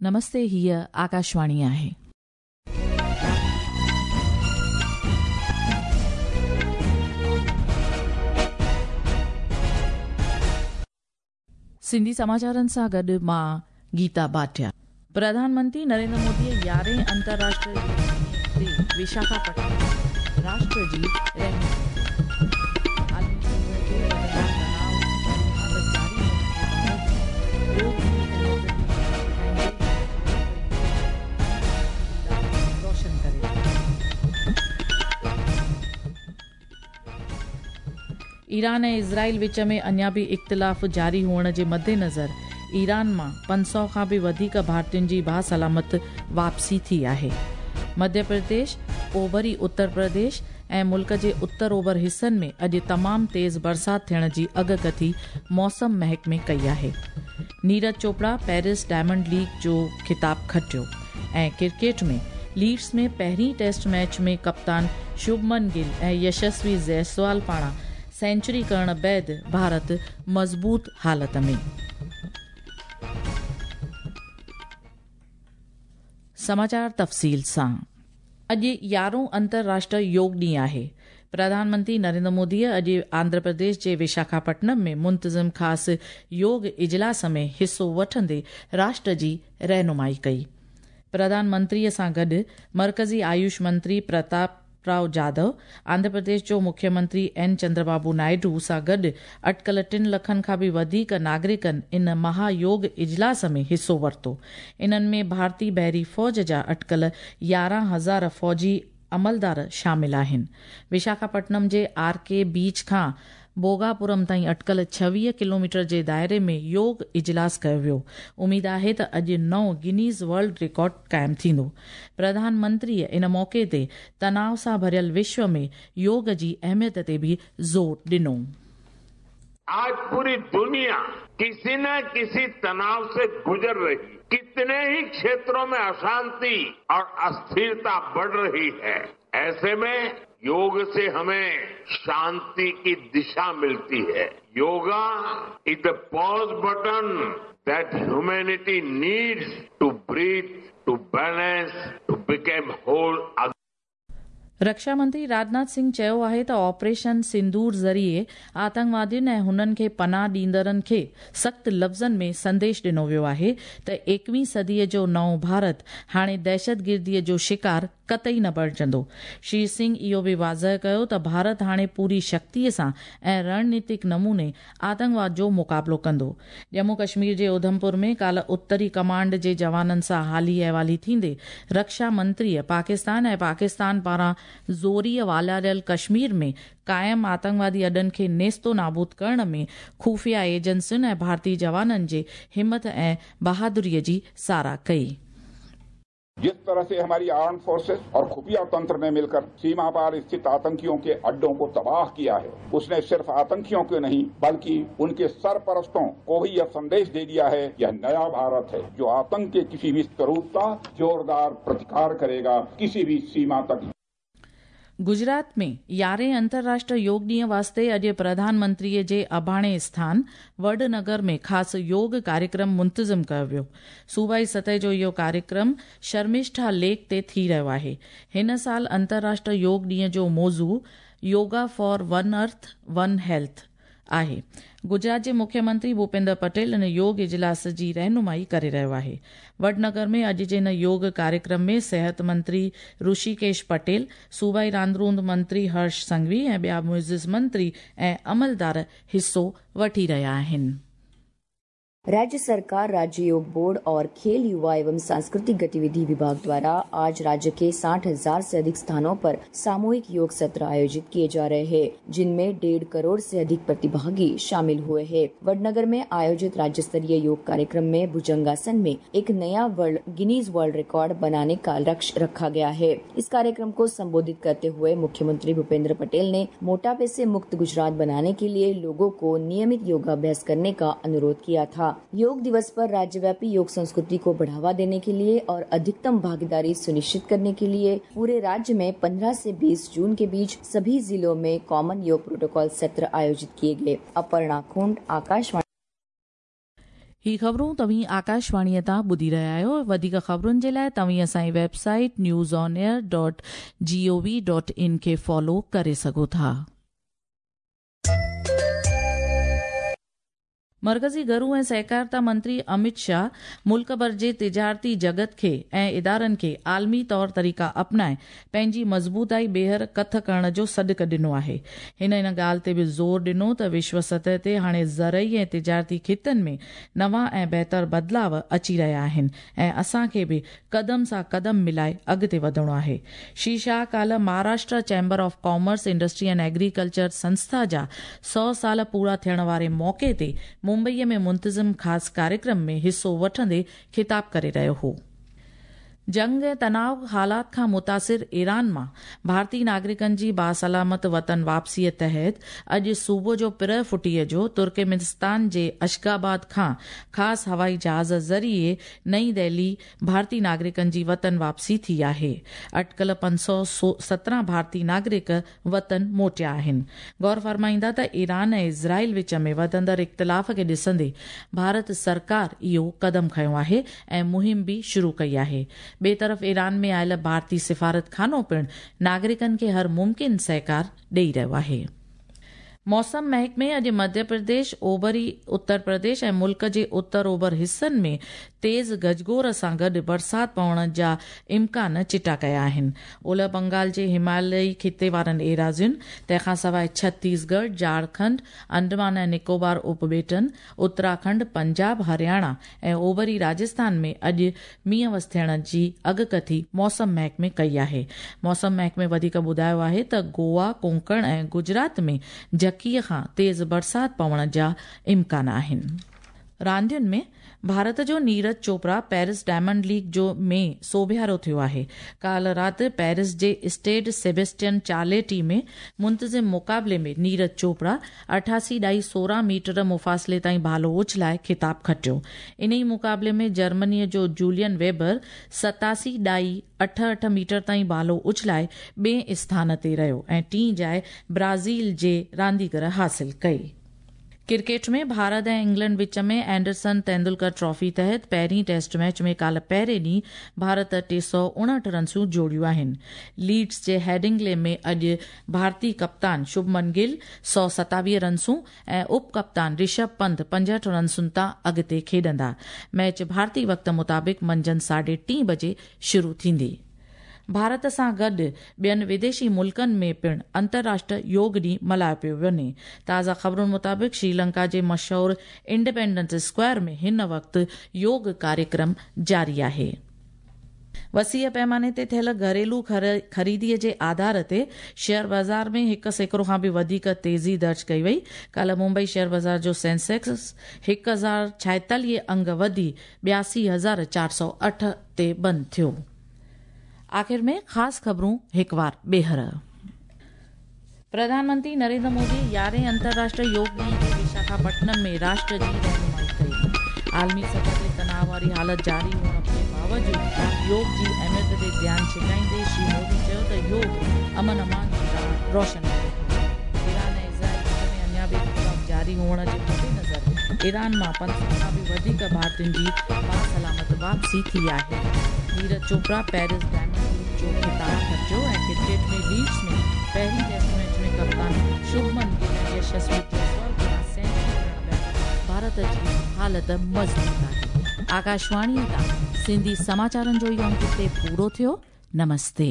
नमस्ते, हीअ आकाशवाणी आहे। सिंधी समाचारनि सां गॾु मां गीता भाटिया। प्रधानमंत्री नरेंद्र मोदीअ 11हें अंतर्राष्ट्रीय ते विशाखापट्टनम राष्ट्र जी रहनुमाई। आलमी सतह ते वधंदड़ तनाव वारी हालत जारी हुअण जे बावजूद योग ॾींहुं अहमियत जी याद दिखाईंदे रोशन करे। ईरान ऐं इज़राइल विच में अञा बि इख़्तिलाफ़ जारी हुअण जे मद्देनज़र ईरान मां 500 खां बि वधीक भारतीयुनि जी बासलामत वापसी थी आहे। मध्य प्रदेश, ओभरी उत्तर प्रदेश ऐं मुल्क जे उत्तर ओभर हिसनि में अॼु तमामु तेज़ बरसाति थियण जी अॻकथी मौसम महकमे कई आहे। Neeraj Chopra Paris Diamond League जो ख़िताब खटियो ऐं क्रिकेट में लीड्स में पहिरीं टेस्ट मैच में कप्तान शुभमन गिल ऐं यशस्वी जायसवाल पारां सेंचुरी करण बाद भारत मज़बूत हालत में। समाचार तफ़सील सां। अॼु 11हों अंतर्राष्ट्रीय योग ॾींहुं आहे। प्रधानमंत्री नरेंद्र मोदीअ अॼु आंध्र प्रदेश जे विशाखापट्टनम में मुंतज़िम ख़ासि योग इजलास में हिसो वठंदे राष्ट्र जी रहनुमाई कई। प्रधानमंत्रीअ सां गॾु मर्कज़ी आयुष मंत्री प्रताप राव जाधव, आंध्र प्रदेश जो मुख्यमंत्री एन चंद्रबाबू नायडू सां गॾु अटकल 3 लखनि खां बि वधीक नागरिकनि इन महायोग इजलास में हिसो वरितो। इन्हनि में भारतीय बहरी फ़ौज जा अटकल 11,000 फ़ौजी अमलदार शामिल आहिनि। विशाखापट्टनम जे are के बीच खां बोगापुरम ताईं अटकल 26 किलोमीटर जे दायरे में योग इजलास कयो वियो। उमेद आहे त अॼु नओं गिनीज़ वर्ल्ड रिकॉर्ड क़ाइमु थींदो। प्रधानमंत्रीअ इन मौक़े ते तनाव सां भरियल विश्व में योग जी अहमियत ते बि ज़ोर ॾिनो। आज पूरी दुनिया किसी न किसी तनाव से गुजर रही, कितने ही क्षेत्रों में अशांति और अस्थिरता बढ़ रही है। ऐसे में योग से हमें शांति की दिशा मिलती है। Yoga is the pause button that humanity needs to breathe, to balance, to become whole. रक्षा मंत्री राजनाथ सिंह चयो आहे त ऑपरेशन सिंदूर ज़रिए आतंकवादियुनि ऐं हुननि खे पनाह ॾींदड़नि खे सख़्तु लफ़्ज़नि में संदेश ॾिनो वियो आहे त 21वीं सदीअ जो नओं भारत हाणे दहशतगिर्दीअ जो शिकार कतई न बणिजंदो। श्री सिंह इहो बि वाज़ह कयो त भारत हाणे पूरी शक्तीअ सां ऐं रणनीतिक नमूने आतंकवाद जो मुक़ाबिलो कंदो। जम्मू कश्मीर जे उधमपुर में काल्ह उत्तरी कमांड जे जवाननि सां हाली अहिवाली थींदे रक्षा मंत्रीअ पाकिस्तान ऐं पाकिस्तान पारां ज़ोरीअ वालारियल कश्मीर में क़ाइम आतंकवादी अॾनि खे नेस्तो नाबूद करण में ख़ुफ़िया एजेंसियुनि ऐं भारतीय जवाननि जे हिमत ऐं बहादुरीअ जी सराह कई। जिस तरह से हमारी आर्म फोर्सेस और खुफिया तंत्र ने मिलकर सीमा पार स्थित आतंकियों के अड्डों को तबाह किया है, उसने सिर्फ आतंकियों को नहीं बल्कि उनके सरपरस्तों को भी यह संदेश दे दिया है, यह नया भारत है जो आतंक के किसी भी स्वरूप का जोरदार प्रतिकार करेगा, किसी भी सीमा तक। गुजरात में 11हें अंतर्राष्ट्रीय योग ॾींहं वास्ते अॼु प्रधानमंत्रीअ जे अबाणे स्थान वडनगर में ख़ासि योग कार्यक्रम मुंतज़िम कयो वियो। सूबाई सतह जो इहो कार्यक्रम शर्मिष्ठा लेक ते थी रहियो आहे। हिन साल अंतर्राष्ट्रीय योग ॾींहं जो मौज़ू yoga for one earth one health आहे। गुजरात जे मुख्यमंत्री भूपेंद्र पटेल इन योग इजलास जी रहनुमाई करे रहियो आहे। वडनगर में अॼु जे इन योग कार्यक्रम में सिहत मंत्री ऋषिकेश पटेल, सूबाई रांदरूंद मंत्री हर्ष संघवी ऐं ॿिया मुइज़िज़ मंत्री ऐं अमलदार हिसो वठी रहिया आहिनि। राज्य सरकार, राज्य योग बोर्ड और खेल युवा एवं सांस्कृतिक गतिविधि विभाग द्वारा आज राज्य के 60,000 से अधिक स्थानों पर सामूहिक योग सत्र आयोजित किए जा रहे हैं, जिनमें 1.5 करोड़ से अधिक प्रतिभागी शामिल हुए हैं। वडनगर में आयोजित राज्य स्तरीय योग कार्यक्रम में भुजंगासन में एक नया गिनीज वर्ल्ड रिकॉर्ड बनाने का लक्ष्य रखा गया है। इस कार्यक्रम को संबोधित करते हुए मुख्यमंत्री भूपेंद्र पटेल ने मोटापे से मुक्त गुजरात बनाने के लिए लोगों को नियमित योगाभ्यास करने का अनुरोध किया था। योग दिवस पर राज्यव्यापी योग संस्कृति को बढ़ावा देने के लिए और अधिकतम भागीदारी सुनिश्चित करने के लिए पूरे राज्य में 15 से 20 जून के बीच सभी जिलों में कॉमन योग प्रोटोकॉल सत्र आयोजित किए गए। अपर्णा खुंड, आकाशवाणी। ही ख़बरूं तव्हीं आकाशवाणीअ तां ॿुधी रहिया आहियो। वधीक ख़बरुनि जे लाइ तव्हीं असांजी वेबसाइट newsonair.gov.in खे फॉलो करे सघो था। मरकज़ी घरू ऐं सहकारिता मंत्री अमित शाह मुल्क भर जे तिजारती जगत खे ऐं इदारनि खे आलमी तौर तरीक़ा अपनाए पंहिंजी मज़बूताई ॿीहर कथ करण जो सॾु ॾिनो आहे। हिन इन ॻाल्हि ते बि ज़ोर ॾिनो त विश्व सतह ते हाणे ज़रई ऐं तिजारती ख़ितनि में नवां ऐं बहितर बदिलाव अची रहिया आहिनि ऐं असांखे बि कदम सां कदम मिलाए अॻिते वधणो आहे। श्री शाह काल्ह Maharashtra chamber of commerce industry and agriculture संस्था जा 100 साल पूरा थियण वारे मौक़े ते मुंबईअ में मुंतज़िम ख़ासि कार्यक्रम में हिसो वठंदे ख़िताब करे रहियो हो। जंग ऐं तनाव हालात खां मुतासिर ईरान मां भारतीय नागरिकनि जी बासलामत वतन वापसीअ तहत अॼु सुबुह जो पिर फुटीअ जो तुर्कमेनिस्तान जे अश्गाबाद खां ख़ासि हवाई जहाज़ ज़रिए नई दिल्ली भारतीय नागरिकनि जी वतन वापसी थी आहे। अटकल 517 भारतीय नागरिक वतन मोटिया आहिनि। गौर फरमाईंदा त ईरान ऐं इज़राइल विच में वधंदड़ इख़्तिलाफ़ खे ॾिसंदे भारत सरकार इहो कदम खयो आहे ऐं मुहिम बि शुरू कई आहे। ॿिए तरफ़ ईरान में आयल भारतीय सिफारत खानो पिणु नागरिकनि खे हर मुमकिन सहकार ॾेई रहियो आहे। मौसम महकमे अॼु मध्य प्रदेश, ओभरी उत्तर प्रदेश ऐं मुल्क जे उत्तर ओभर हिसनि में तेज़ गजगोर सां गॾु बरसाति पवण जा इम्कान चिटा कया आहिनि। ओलह बंगाल जे हिमालयी ख़िते वारनि एराज़ियुनि, तंहिंखां सवाइ छत्तीसगढ़, झारखंड, अंडमान ऐं निकोबार उपॿेटनि, उत्तराखंड, पंजाब, हरियाणा ऐं ओभरी राजस्थान में अॼु मींहुं वस थियण जी अॻकथी मौसम महकमे कई आहे। मौसम महकमे वधीक ॿुधायो आहे त गोवा, कोंकण ऐं गुजरात में झकीअ खां तेज़ बरसाति पवण जा इम्कान आहिनि। रांदियुनि में भारत जो Neeraj Chopra Paris diamond league जो में सोभियारो थियो आहे। काल्ह राति पेरिस जे स्टेड सेबेस्टियन चार्लेटी में मुंतज़िम मुक़ाबले में नीरज चोपड़ा 88.16 मीटर मुफ़ासिले ताईं भालो उछलाए ख़िताब खटियो। इन ई मुक़ाबले में जर्मनीअ जो जूलियन वेबर 87.88 मीटर ताईं भालो उछलाए ॿिए स्थान ते रहियो ऐं टीं जाइ ब्राज़ील जे रांदीगर हासिल कई। क्रिकेट में भारत ऐं इंग्लैंड विच में एंडरसन तेंदुलकर ट्रॉफी तहत पहिरीं टेस्ट मैच में काल्ह पहिरें ॾींहुं भारत 359 रनसूं जोड़ियूं आहिनि। लीड्स जे हेडिंगले में अॼु भारतीय कप्तान शुभमन गिल 127 रनसूं ऐं उप कप्तान ऋषभ पंत 65 रनसुनि तां अॻिते खेॾंदा। मैच भारतीय वक़्त मुताबिक़ मंझंदि 3:30 बजे शुरू थींदी। भारत सां गॾु ॿियनि विदेशी मुल्कनि में पिणु अंतर्राष्ट्रीय योग ॾींहुं मल्हायो पियो वञे। ताज़ा ख़बरुनि मुताबिक़ श्रीलंका जे मशहूर इंडिपेंडेंस स्क्वायर में हिन वक़्तु योग कार्यक्रम जारी आहे। वसीअ पैमाने ते थियल घरेलू ख़रीदीअ जे आधार ते शेयर बाज़ार में 1% खां बि वधीक तेज़ी दर्ज कई वई। काल्ह मुंबई शेयर बाज़ार जो सेंसेक्स 1046 अंग वधी 82,408 ते बंदि थियो। आख़िर में ख़ासि ख़बरूं हिकु वार ॿीहर। प्रधानमंत्री नरेंद्र मोदी 11 अंतर्राष्ट्रीय योग ॾींहुं ते विशाखापट्टनम में राष्ट्र जी रहनुमाई कई। आलमी सतह ते तनाव वारी हालत जारी हुअण जे बावजूद योग जी अहमियत ते ध्यानु छिकाईंदे श्री मोदी चयो त योग अमन अमान जी राह रोशन करे थो। ईरान ऐं इज़राइल विच में अञा बि इख़्तिलाफ़ जारी हुअण जे मद्देनज़र ईरान मां 500 खां बि वधीक भारतीयुनि जी बासलामत वापसी थी आहे। Neeraj Chopra Paris diamond league जो ख़िताब खटियो ऐं क्रिकेट में लीड्स में पहिरीं टेस्ट मैच में कप्तान शुभमन गिल ऐं यशस्वी जायसवाल पारां सेंचुरी करण बाद भारत जी हालत मज़बूत आहे। आकाशवाणीअ तां सिंधी समाचारनि जो इहो अंक हिते पूरो थियो। नमस्ते।